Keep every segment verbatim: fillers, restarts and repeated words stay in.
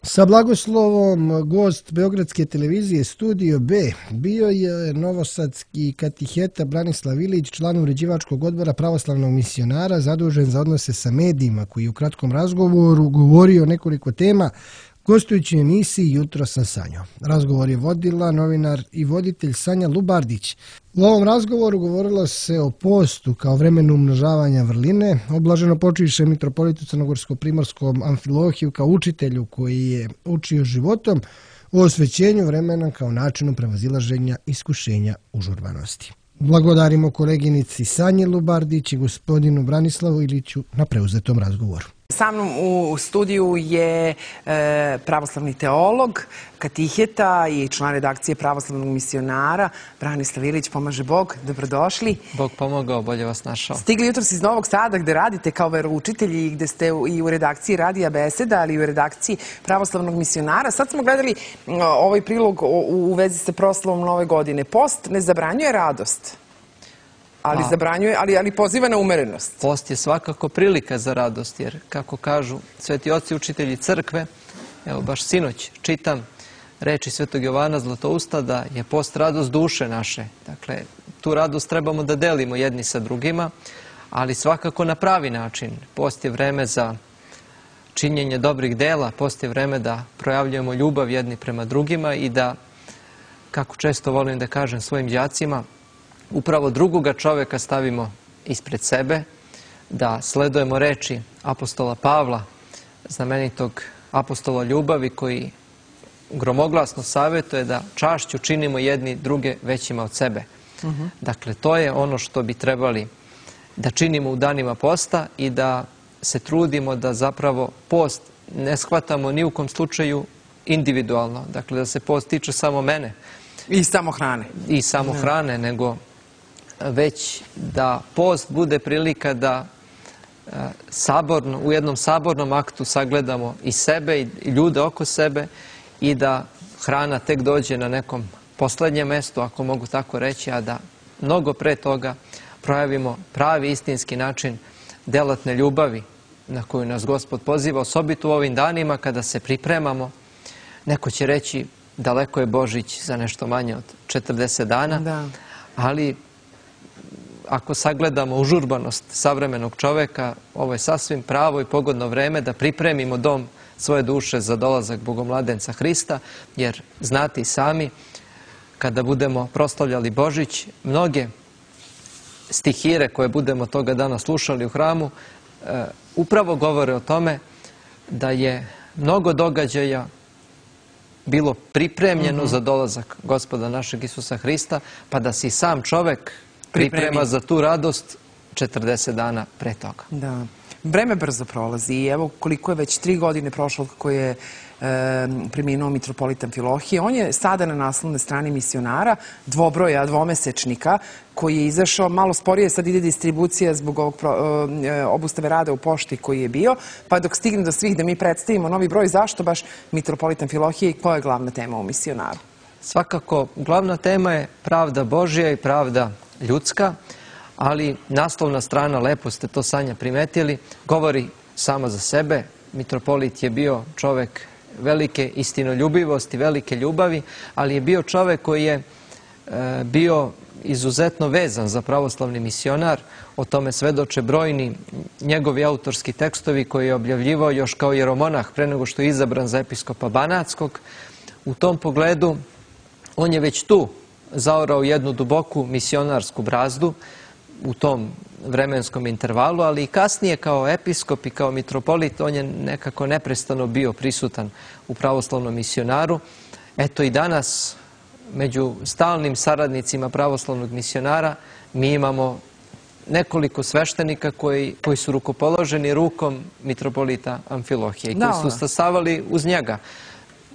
Sa blagoslovom gost Beogradske televizije Studio B bio je novosadski katiheta Branislav Ilić, član uređivačkog odbora pravoslavnog misionara, zadužen za odnose sa medijima, koji je u kratkom razgovoru govorio o nekoliko tema, gostujući u emisiji Jutro sa Sanjom. Razgovor je vodila novinar i voditelj Sanja Lubardić. U ovom razgovoru govorilo se o postu kao vremenu umnožavanja vrline, o blaženopočivšem mitropolitu crnogorsko-primorskom Amfilohiju kao učitelju koji je učio životom, o osvećenju vremena kao načinu prevazilaženja iskušenja užurbanosti. Blagodarimo koleginici Sanji Lubardić i gospodinu Branislavu Iliću na preuzetom razgovoru. Sa mnom u studiju je e, pravoslavni teolog, katiheta i član redakcije pravoslavnog misionara Branislav Ilić. Pomaže Bog, dobrodošli. Bog pomogao, bolje vas našao. Stigli jutros iz Novog Sada gde radite kao veroučitelji i gde ste i u redakciji Radija Beseda, ali i u redakciji pravoslavnog misionara. Sad smo gledali ovaj prilog u, u vezi sa proslavom Nove godine. Post ne zabranjuje radost. Ali zabranjuje, ali, ali poziva na umerenost. Post je svakako prilika za radost, jer kako kažu sveti oci učitelji crkve, evo baš sinoć čitam reči svetog Jovana Zlatousta da je post radost duše naše. Dakle, tu radost trebamo da delimo jedni sa drugima, ali svakako na pravi način. Post je vreme za činjenje dobrih dela, post je vreme da projavljujemo ljubav jedni prema drugima i da, kako često volim da kažem svojim đacima, upravo drugoga čoveka stavimo ispred sebe, da sledujemo reči apostola Pavla, znamenitog apostola ljubavi, koji gromoglasno savjetuje da čašću činimo jedni druge većima od sebe. Uh-huh. Dakle, to je ono što bi trebali da činimo u danima posta i da se trudimo da zapravo post ne shvatamo ni u kom slučaju individualno. Dakle, da se post tiče samo mene. I samo hrane. I samo ne. hrane, nego već da post bude prilika da saborno, u jednom sabornom aktu sagledamo i sebe i ljude oko sebe i da hrana tek dođe na nekom poslednjem mestu, ako mogu tako reći, a da mnogo pre toga projavimo pravi istinski način delatne ljubavi na koju nas Gospod poziva, osobito u ovim danima kada se pripremamo. Neko će reći daleko je Božić za nešto manje od četrdeset dana, da. Ali ako sagledamo užurbanost savremenog čoveka, ovo je sasvim pravo i pogodno vreme da pripremimo dom svoje duše za dolazak Bogomladenca Hrista, jer znate i sami, kada budemo proslavljali Božić, mnoge stihire koje budemo toga dana slušali u hramu, e, upravo govore o tome da je mnogo događaja bilo pripremljeno uh-huh. za dolazak Gospoda našeg Isusa Hrista, pa da se i sam čovek priprema Pripremi. za tu radost četrdeset dana pre toga. Da. Vreme brzo prolazi i evo koliko je već tri godine prošlo kako je e, preminuo mitropolit Amfilohije. On je sada na naslovnoj strani misionara, dvobroja, dvomesečnika, koji je izašao malo sporije, sad ide distribucija zbog ovog pro, e, obustave rada u pošti koji je bio, pa dok stigne do svih da mi predstavimo novi broj, zašto baš mitropolit Amfilohije i koja je glavna tema u misionaru? Svakako, glavna tema je pravda Božja i pravda ljudska, ali naslovna strana, lepo ste to, Sanja, primetili, govori samo za sebe. Mitropolit je bio čovek velike istinoljubivosti, velike ljubavi, ali je bio čovek koji je e, bio izuzetno vezan za pravoslavni misionar. O tome svedoče brojni njegovi autorski tekstovi koje je objavljivao još kao jeromonah pre nego što je izabran za episkopa Banatskog. U tom pogledu on je već tu zaorao jednu duboku misionarsku brazdu u tom vremenskom intervalu, ali i kasnije kao episkop i kao mitropolit on je nekako neprestano bio prisutan u pravoslavnom misionaru. Eto i danas među stalnim saradnicima pravoslavnog misionara mi imamo nekoliko sveštenika koji, koji su rukopoloženi rukom mitropolita Amfilohije i koji su stasavali uz njega.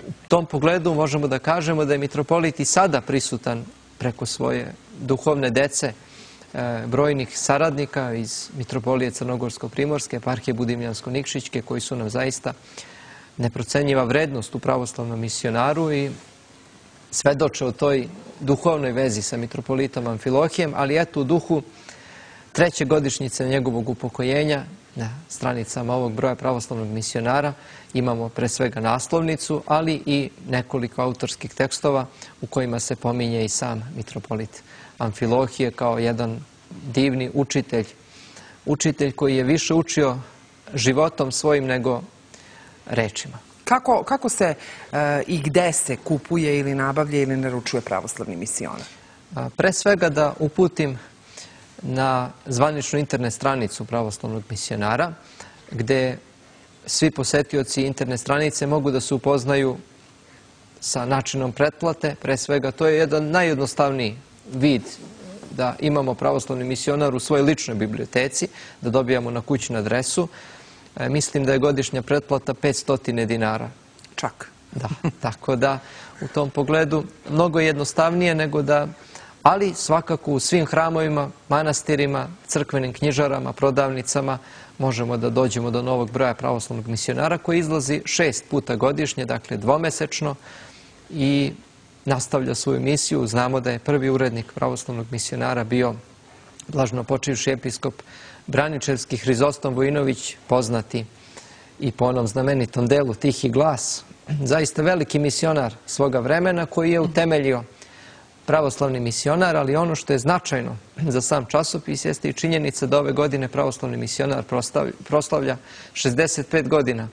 U tom pogledu možemo da kažemo da je mitropolit i sada prisutan preko svoje duhovne dece, e, brojnih saradnika iz mitropolije Crnogorsko-Primorske, eparhije Budimljansko-Nikšićke, koji su nam zaista neprocenjiva vrednost u pravoslavnom misionaru i svedoče o toj duhovnoj vezi sa mitropolitom Amfilohijem, ali eto u duhu treće godišnjice njegovog upokojenja na stranicama ovog broja pravoslavnog misionara imamo pre svega naslovnicu, ali i nekoliko autorskih tekstova u kojima se pominje i sam mitropolit Amfilohije kao jedan divni učitelj. Učitelj koji je više učio životom svojim nego rečima. Kako, kako se e, i gde se kupuje ili nabavlja ili naručuje pravoslavni misionar? A, pre svega da uputim na zvaničnu internet stranicu pravoslavnog misionara, gde svi posetioci internet stranice mogu da se upoznaju sa načinom pretplate. Pre svega, to je jedan najjednostavniji vid da imamo pravoslavni misionar u svojoj ličnoj biblioteci, da dobijamo na kućnu adresu. E, mislim da je godišnja pretplata petsto dinara. Čak. Da, tako da u tom pogledu mnogo jednostavnije nego da, ali svakako u svim hramovima, manastirima, crkvenim knjižarama, prodavnicama možemo da dođemo do novog broja pravoslavnog misionara koji izlazi šest puta godišnje, dakle dvomesečno, i nastavlja svoju misiju. Znamo da je prvi urednik pravoslavnog misionara bio blaženopočivši episkop Braničevski Hrizostom Vojinović, poznati i po onom znamenitom delu Tihi glas. Zaista veliki misionar svoga vremena koji je utemeljio pravoslavni misionar, ali ono što je značajno za sam časopis jeste i činjenica da ove godine pravoslavni misionar proslavlja šezdeset pet godina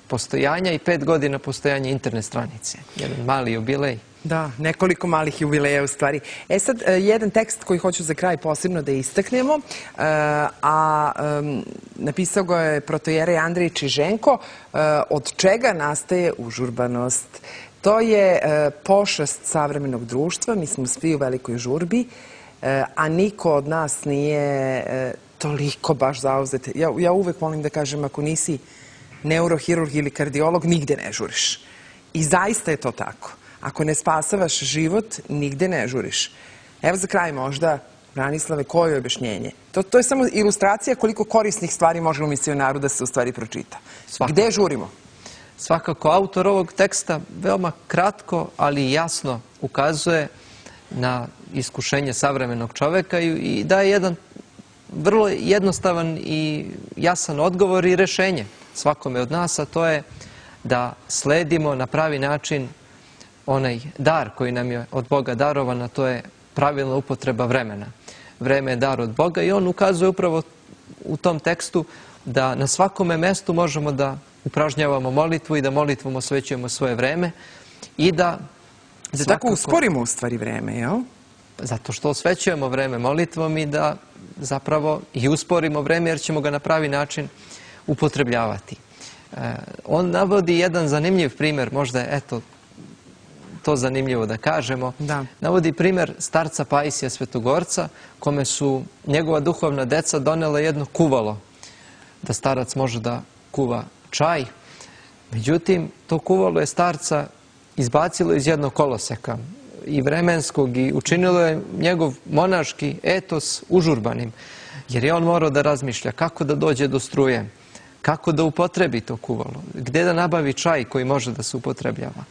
postojanja i pet godina postojanja internet stranice. Jedan mali jubilej. Da, nekoliko malih jubileja u stvari. E sad, jedan tekst koji hoću za kraj posebno da istaknemo, a napisao ga je protojerej Andrej Čiženko, od čega nastaje užurbanost. To je pošast savremenog društva, mi smo svi u velikoj žurbi, a niko od nas nije toliko baš zauzet. Ja, ja uvek volim da kažem, ako nisi neurohirurg ili kardiolog, nigde ne žuriš. I zaista je to tako. Ako ne spasavaš život, nigde ne žuriš. Evo za kraj možda, Branislave, koje je objašnjenje? To, to je samo ilustracija koliko korisnih stvari može u misionaru da se u stvari pročita. Svakako. Gde žurimo? Svakako, autor ovog teksta veoma kratko, ali jasno ukazuje na iskušenje savremenog čoveka i, i daje jedan vrlo jednostavan i jasan odgovor i rešenje svakome od nas, a to je da sledimo na pravi način onaj dar koji nam je od Boga darovan, a to je pravilna upotreba vremena. Vreme je dar od Boga i on ukazuje upravo u tom tekstu da na svakome mestu možemo da upražnjavamo molitvu i da molitvom osvećujemo svoje vreme i da... Da tako usporimo u stvari vreme, jel? Zato što osvećujemo vreme molitvom i da zapravo i usporimo vreme jer ćemo ga na pravi način upotrebljavati. On navodi jedan zanimljiv primjer, možda je, eto, to zanimljivo da kažemo. Da. Navodi primjer starca Paisija Svetogorca, kome su njegova duhovna deca donela jedno kuvalo, da starac može da kuva čaj. Međutim, to kuvalo je starca izbacilo iz jednog koloseka i vremenskog i učinilo je njegov monaški etos užurbanim, jer je on morao da razmišlja kako da dođe do struje, kako da upotrebi to kuvalo, gde da nabavi čaj koji može da se upotrebljava.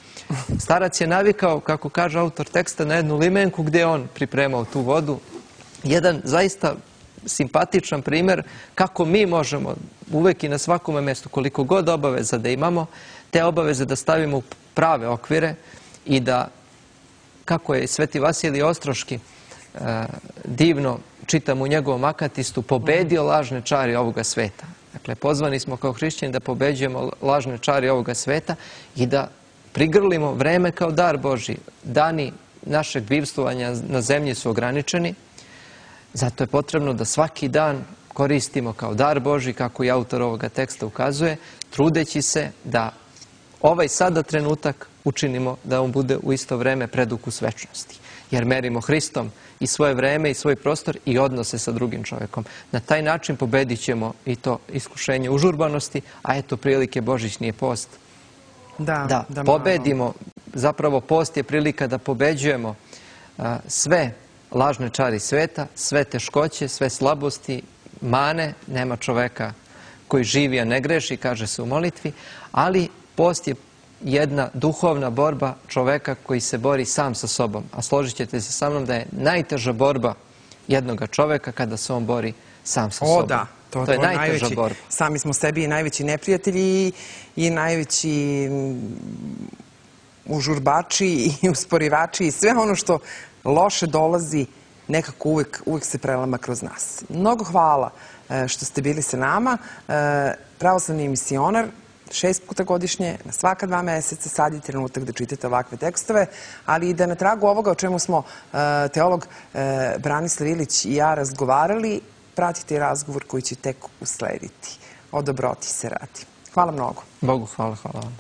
Starac je navikao, kako kaže autor teksta, na jednu limenku gde je on pripremao tu vodu. Jedan zaista simpatičan primjer kako mi možemo uvek i na svakome mjestu, koliko god obaveza da imamo, te obaveze da stavimo u prave okvire i da, kako je Sveti Vasilij Ostroški divno čitam u njegovom akatistu, pobedio lažne čari ovoga sveta. Dakle, pozvani smo kao hrišćani da pobeđujemo lažne čari ovoga sveta i da prigrlimo vreme kao dar Božji. Dani našeg bivstvovanja na zemlji su ograničeni, zato je potrebno da svaki dan koristimo kao dar Božji, kako i autor ovoga teksta ukazuje, trudeći se da ovaj sada trenutak učinimo da on bude u isto vreme predukus večnosti. Jer merimo Hristom i svoje vreme i svoj prostor i odnose sa drugim čovjekom. Na taj način pobedit ćemo i to iskušenje užurbanosti, a eto prilike Božićni post. Da, da, da pobedimo, zapravo post je prilika da pobeđujemo a, sve lažne čari sveta, sve teškoće, sve slabosti, mane, nema čoveka koji živi, a ne greši, kaže se u molitvi, ali post je jedna duhovna borba čoveka koji se bori sam sa sobom. A složit ćete se sa mnom da je najteža borba jednoga čoveka kada se on bori sam sa sobom. O da, To, To je to najteža najveći, borba. Sami smo sebi i najveći neprijatelji i, i najveći užurbači i usporivači i sve ono što loše dolazi nekako uvek, uvek se prelama kroz nas. Mnogo hvala e, što ste bili sa nama. E, pravoslavni misionar, šest puta godišnje, na svaka dva meseca, sad je trenutak da čitate ovakve tekstove, ali i da na tragu ovoga o čemu smo e, teolog e, Branislav Ilić i ja razgovarali, pratite i razgovor koji će tek uslediti. O dobroti se radi. Hvala mnogo. Bogu hvala, hvala vam.